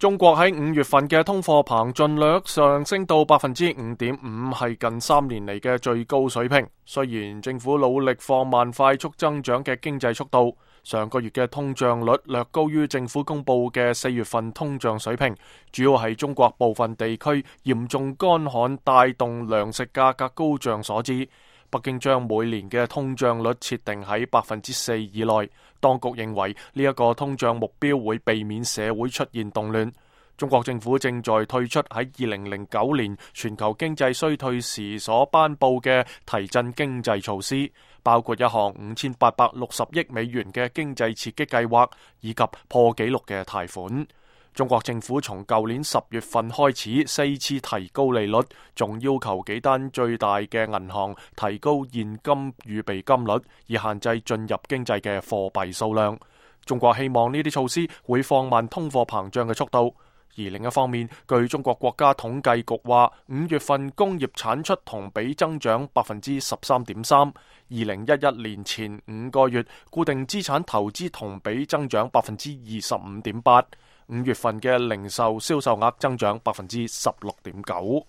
中國喺5月份嘅通貨膨脹率上升到 5.5%， 係近3年嚟嘅最高水平。雖然政府努力放慢快速增長嘅經濟速度，上個月嘅通脹率略高於政府公布嘅4月份通脹水平，主要係中國部分地區嚴重乾旱帶動糧食價格高漲所致。北京將每年嘅通脹率設定喺 4% 以內，當局認為呢一個通脹目標會避免社會出現動亂。中國政府正在退出喺2009年全球經濟衰退時所頒布嘅提振經濟措施，包括一項5860億美元嘅經濟刺激計劃，以及破紀錄嘅貸款。中國政府從舊年10月份開始4次提高利率，仲要求幾單最大嘅銀行提高現金預備金率，以限制進入經濟嘅貨幣數量。中國希望呢啲措施會放慢通貨膨脹嘅速度。而另一方面，據中國國家統計局話，5月份工業產出同比增長 13.3%， 2011年前5個月固定資產投資同比增長 25.8%， 5月份嘅零售銷售額增長 16.9%。